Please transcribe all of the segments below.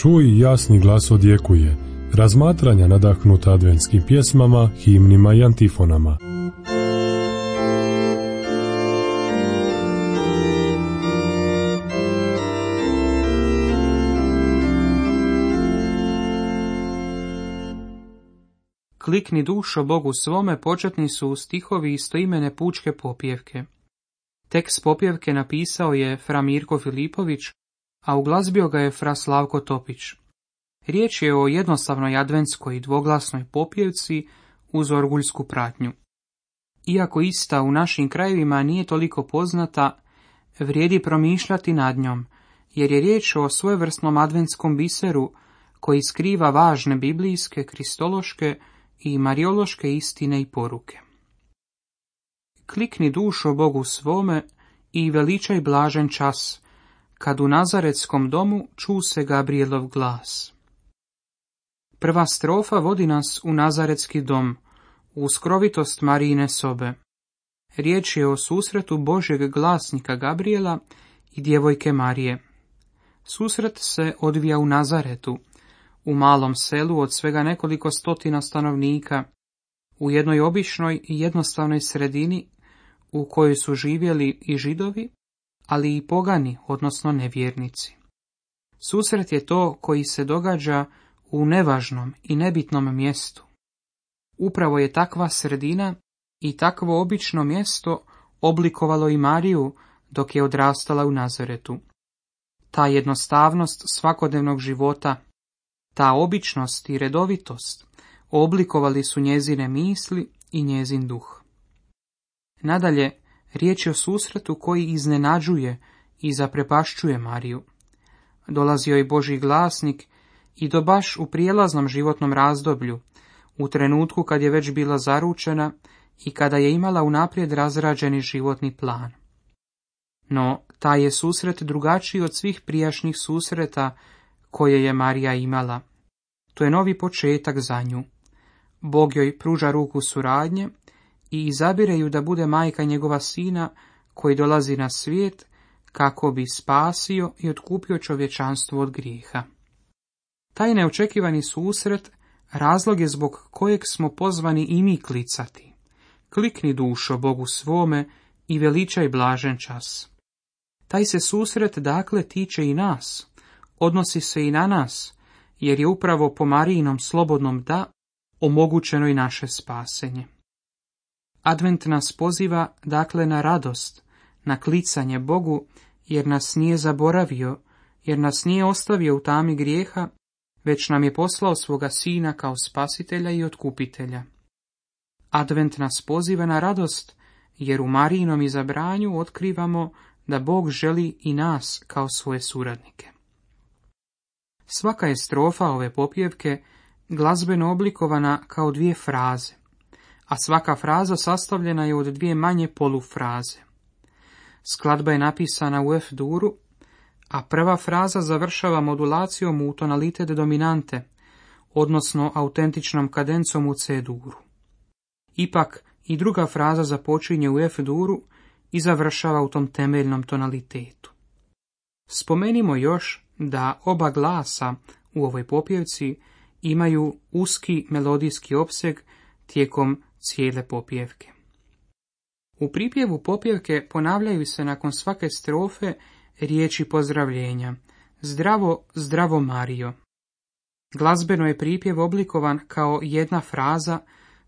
Čuj, jasni glas odjekuje, razmatranja nadahnuta adventskim pjesmama, himnima i antifonama. Klikni dušo Bogu svome početni su stihovi istoimene pučke popjevke. Tekst popjevke napisao je fra Mirko Filipović, a uglazbio ga je fra Slavko Topić. Riječ je o jednostavnoj adventskoj dvoglasnoj popjevci uz orguljsku pratnju. Iako ista u našim krajevima nije toliko poznata, vrijedi promišljati nad njom, jer je riječ o svojevrsnom adventskom biseru koji skriva važne biblijske, kristološke i mariološke istine i poruke. Klikni dušo Bogu svome i veličaj blažen čas, kad u Nazaretskom domu ču se Gabrijelov glas. Prva strofa vodi nas u Nazaretski dom, u skrovitost Marijine sobe. Riječ je o susretu Božjeg glasnika Gabrijela i djevojke Marije. Susret se odvija u Nazaretu, u malom selu od svega nekoliko stotina stanovnika, u jednoj običnoj i jednostavnoj sredini u kojoj su živjeli i Židovi, ali i pogani, odnosno nevjernici. Susret je to koji se događa u nevažnom i nebitnom mjestu. Upravo je takva sredina i takvo obično mjesto oblikovalo i Mariju dok je odrastala u Nazaretu. Ta jednostavnost svakodnevnog života, ta običnost i redovitost oblikovali su njezine misli i njezin duh. Nadalje, riječ je o susretu koji iznenađuje i zaprepašćuje Mariju. Dolazio je Božji glasnik i to baš u prijelaznom životnom razdoblju, u trenutku kad je već bila zaručena i kada je imala unaprijed razrađeni životni plan. No, taj je susret drugačiji od svih prijašnjih susreta koje je Marija imala. To je novi početak za nju. Bog joj pruža ruku suradnje i izabire ju da bude majka njegova sina koji dolazi na svijet kako bi spasio i otkupio čovječanstvo od grijeha. Taj neočekivani susret razlog je zbog kojeg smo pozvani i mi klicati. Klikni dušo Bogu svome i veličaj blažen čas. Taj se susret dakle tiče i nas, odnosi se i na nas, jer je upravo po Marijinom slobodnom da omogućeno i naše spasenje. Advent nas poziva dakle na radost, na klicanje Bogu, jer nas nije zaboravio, jer nas nije ostavio u tami grijeha, već nam je poslao svoga sina kao spasitelja i otkupitelja. Advent nas poziva na radost, jer u Marijinom izabranju otkrivamo da Bog želi i nas kao svoje suradnike. Svaka je strofa ove popjevke glazbeno oblikovana kao dvije fraze, a svaka fraza sastavljena je od dvije manje polufraze. Skladba je napisana u F-duru, a prva fraza završava modulacijom u tonalitet dominante, odnosno autentičnom kadencom u C-duru. Ipak i druga fraza započinje u F-duru i završava u tom temeljnom tonalitetu. Spomenimo još da oba glasa u ovoj popjevci imaju uski melodijski opseg tijekom cijele popjevke. U pripjevu popjevke ponavljaju se nakon svake strofe riječi pozdravljenja: Zdravo, zdravo Marijo. Glazbeno je pripjev oblikovan kao jedna fraza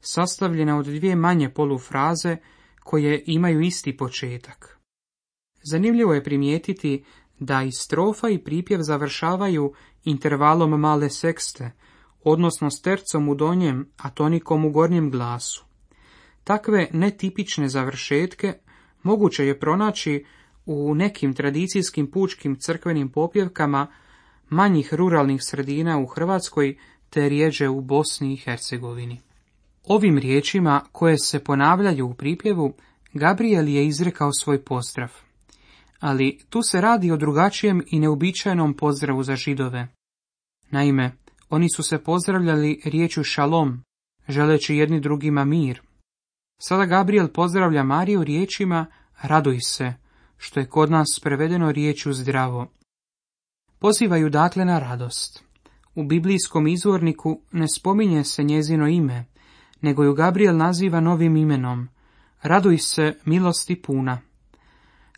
sastavljena od dvije manje polufraze koje imaju isti početak. Zanimljivo je primijetiti da i strofa i pripjev završavaju intervalom male sekste, odnosno s tercom u donjem, a tonikom u gornjem glasu. Takve netipične završetke moguće je pronaći u nekim tradicijskim pučkim crkvenim popjevkama manjih ruralnih sredina u Hrvatskoj te rjeđe u Bosni i Hercegovini. Ovim riječima koje se ponavljaju u pripjevu, Gabrijel je izrekao svoj pozdrav. Ali tu se radi o drugačijem i neuobičajenom pozdravu za Židove. Naime, oni su se pozdravljali riječju šalom, želeći jedni drugima mir. Sada Gabrijel pozdravlja Mariju riječima raduj se, što je kod nas prevedeno riječju zdravo. Pozivaju dakle na radost. U biblijskom izvorniku ne spominje se njezino ime, nego ju Gabriel naziva novim imenom. Raduj se, milosti puna.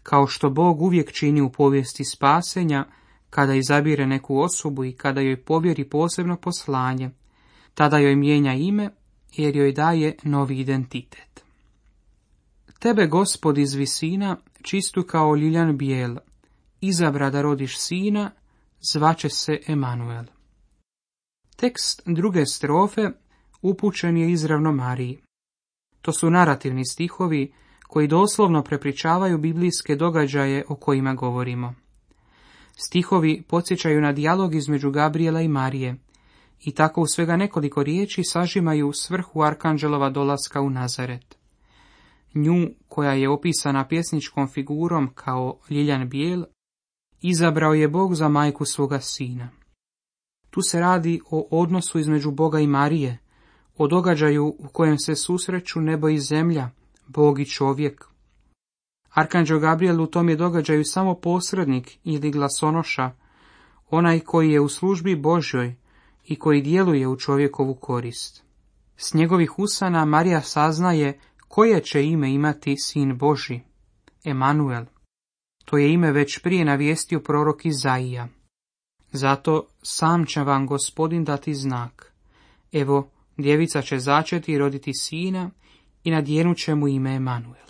Kao što Bog uvijek čini u povijesti spasenja, kada izabire neku osobu i kada joj povjeri posebno poslanje, tada joj mijenja ime jer joj daje novi identitet. Tebe, Gospod, iz visina, čistu kao ljiljan bijel, izabra da rodiš sina, zvaće se Emanuel. Tekst druge strofe upućen je izravno Mariji. To su narativni stihovi koji doslovno prepričavaju biblijske događaje o kojima govorimo. Stihovi podsjećaju na dijalog između Gabriela i Marije i tako u svega nekoliko riječi sažimaju svrhu arkanđelova dolaska u Nazaret. Nju, koja je opisana pjesničkom figurom kao ljiljan bijel, izabrao je Bog za majku svoga sina. Tu se radi o odnosu između Boga i Marije, o događaju u kojem se susreću nebo i zemlja, Bog i čovjek. Arkanđel Gabriel u tom je događaju samo posrednik ili glasonoša, onaj koji je u službi Božjoj i koji djeluje u čovjekovu korist. S njegovih usana Marija saznaje koje će ime imati sin Božji, Emanuel. To je ime već prije navijestio prorok Izaija. Zato sam će vam Gospodin dati znak. Evo, djevica će začeti i roditi sina i nadjenut će mu ime Emanuel.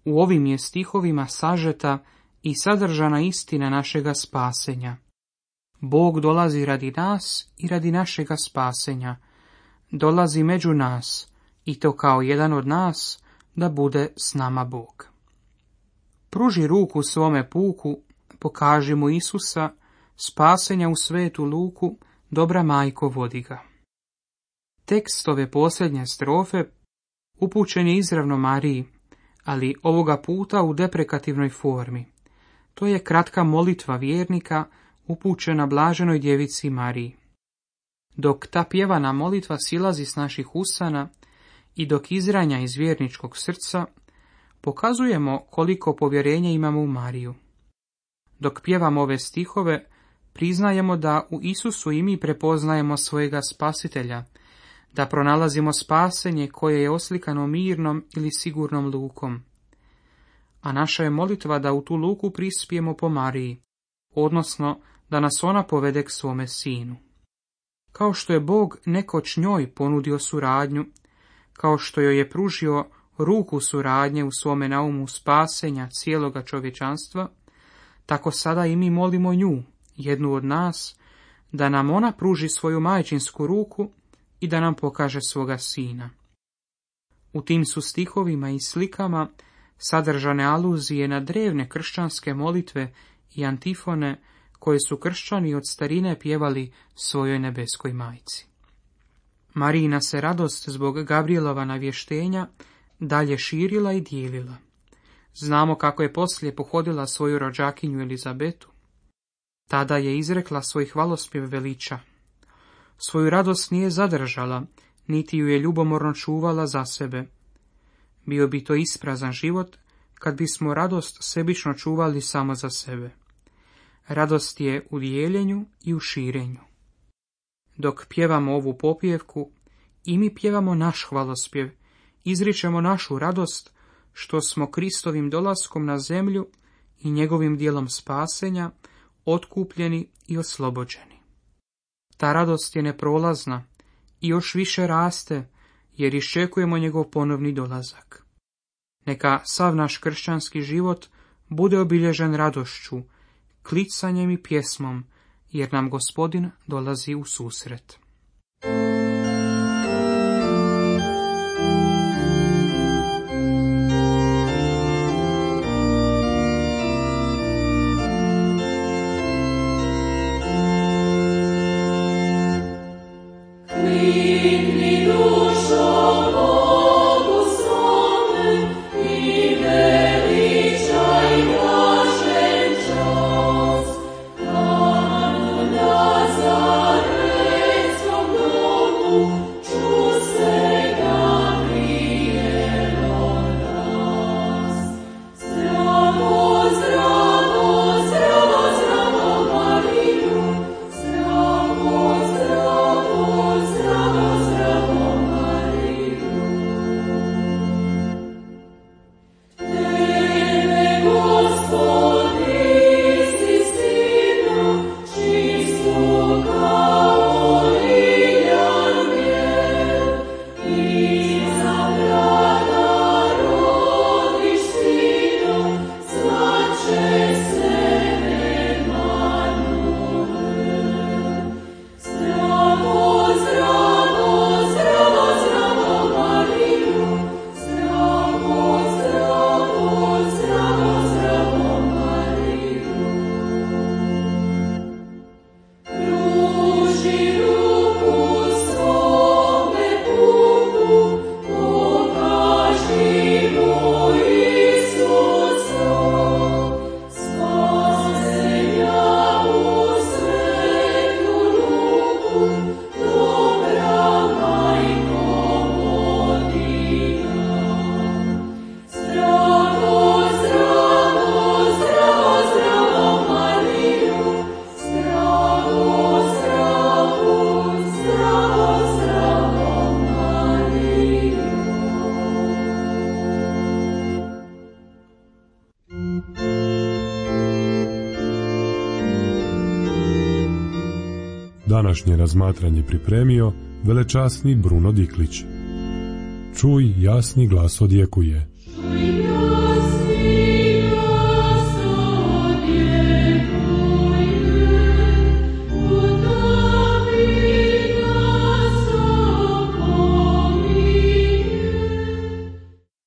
U ovim je stihovima sažeta i sadržana istina našega spasenja. Bog dolazi radi nas i radi našega spasenja. Dolazi među nas i to kao jedan od nas da bude s nama Bog. Pruži ruku svome puku, pokaži mu Isusa, spasenja u svetu luku, dobra majko vodi ga. Tekst ove posljednje strofe upućen je izravno Mariji, ali ovoga puta u deprekativnoj formi. To je kratka molitva vjernika upućena blaženoj djevici Mariji. Dok ta pjevana molitva silazi s naših usana i dok izranja iz vjerničkog srca, pokazujemo koliko povjerenja imamo u Mariju. Dok pjevamo ove stihove, priznajemo da u Isusu i mi prepoznajemo svojega spasitelja, da pronalazimo spasenje koje je oslikano mirnom ili sigurnom lukom. A naša je molitva da u tu luku prispijemo po Mariji, odnosno da nas ona povede k svome sinu. Kao što je Bog nekoć njoj ponudio suradnju, kao što joj je pružio ruku suradnje u svome naumu spasenja cijeloga čovječanstva, tako sada i mi molimo nju, jednu od nas, da nam ona pruži svoju majčinsku ruku i da nam pokaže svoga sina. U tim su stihovima i slikama sadržane aluzije na drevne kršćanske molitve i antifone koje su kršćani od starine pjevali svojoj nebeskoj majci. Marijina se radost zbog Gabrielova navještenja dalje širila i dijelila. Znamo kako je poslije pohodila svoju rođakinju Elizabetu. Tada je izrekla svoj hvalospjev veliča. Svoju radost nije zadržala, niti ju je ljubomorno čuvala za sebe. Bio bi to isprazan život, kad bismo radost sebično čuvali samo za sebe. Radost je u dijeljenju i u širenju. Dok pjevamo ovu popjevku, i mi pjevamo naš hvalospjev, izričemo našu radost, što smo Kristovim dolaskom na zemlju i njegovim dijelom spasenja otkupljeni i oslobođeni. Ta radost je neprolazna i još više raste, jer iščekujemo njegov ponovni dolazak. Neka sav naš kršćanski život bude obilježen radošću, klicanjem i pjesmom, jer nam Gospodin dolazi u susret. Nazareth današnje razmatranje pripremio velečasni Bruno Diklić. Čuj, jasni glas odjekuje.